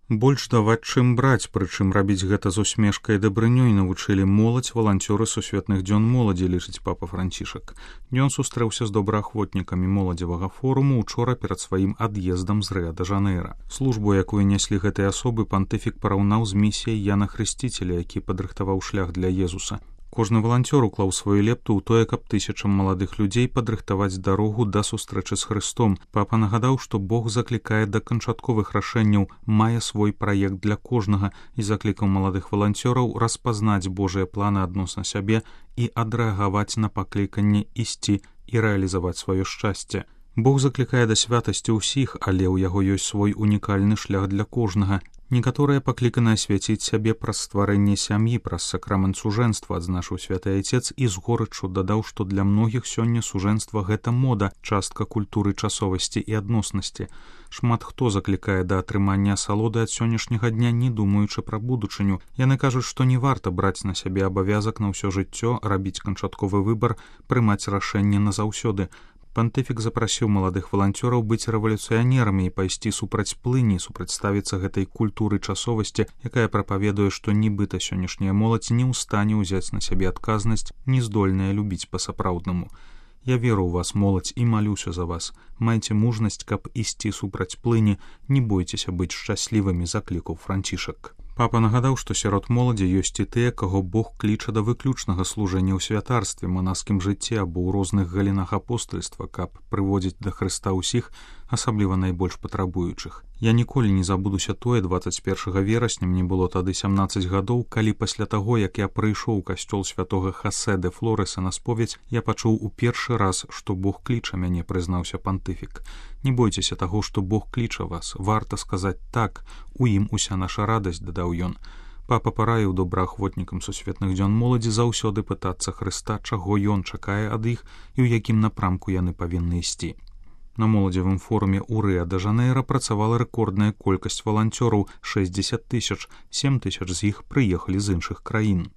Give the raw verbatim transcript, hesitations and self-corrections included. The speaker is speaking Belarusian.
Больш даваць, чым браць, прычым рабіць гэта з усмешкай і дабрынёй навучылі моладзь валанцёры сусветных дзён моладзі, лічыць папа Францішак. Ён сустрэўся з добраахвотнікамі моладзевага форуму учора перад сваім ад'ездам з Рыа-дэ-Жанэйра. Службу, якую няслі гэтыя асобы, пантыфік параўнаў з місіяй Яна Хрысціцеля, які падрыхтаваў шлях для Езуса. Кожны валанцёр уклаў сваю лепту ў тое, каб тысячам маладых людзей падрыхтаваць дарогу да сустрэчы з Хрыстом. Папа нагадаў, што Бог заклікае да канчатковых рашэнняў, мае свой праект для кожнага і заклікаў маладых валанцёраў распазнаць Божыя планы адносна сябе і адрэагаваць на пакліканне ісці і рэалізаваць сваё шчасце. Бог заклікае да святасці ўсіх, але ў яго ёсць свой унікальны шлях для кожнага. Некаторыя пакліканы асвяціць сябе праз стварэнне сям'і, праз сакрамент сужэнства, адзначыў святы айцец і з горыччу дадаў, што для многіх сёння сужэнства гэта мода, частка культуры часовасці і адноснасці. Шмат хто заклікае да атрымання асалоды ад сённяшняга дня, не думаючы пра будучыню. Яны кажуць, што не варта браць на сябе абавязак на ўсё жыццё, рабіць канчатковы выбар, прымаць рашэнне назаўсёды. Пантыфік запрасіў маладых валанцёраў быць рэвалюцыянерамі і пайсці супраць плыні, супрацьставіцца гэтай культуры часовасці, якая прапаведуе, што нібыта сённяшняя моладзь не ў стане ўзяць на сябе адказнасць, не здольная любіць па-сапраўднаму. Я веру ў вас, моладзь, і малюся за вас. Майце мужнасць, каб ісці супраць плыні, не бойцеся быць шчаслівымі, заклікаў Францішак. Папа нагадаў, што сярод моладзі ёсць і тыя, каго Бог кліча да выключнага служэння ў святарстве, манаскім жыцці або ў розных галінах апостальства, каб прыводзіць да Хрыста ўсіх, асабліва найбольш патрабуючых. Я ніколі не забудуся тое, дваццаць першага верасня, мне было тады сямнаццаць гадоў, калі пасля таго, як я прыйшоў у касцёл святога Хосе де Флореса на споведь, я пачуў у першы раз, што Бог кліча мяне, прызнаўся пантыфік. Не бойцеся таго, што Бог кліча вас, варта сказаць так, у ім уся наша радасць, дадаў ён. Папа параіў добраахвотнікам сусветных дзён моладзі заўсёды пытацца Хрыста, чаго ён чакае ад іх і ў якім напрамку яны павінны ісці. На моладзевым форуме ў Рыа-дэ-Жанэйра працавала рэкордная колькасць валанцёраў — шэсцьдзесят тысяч, сем тысяч з іх прыехалі з іншых краін.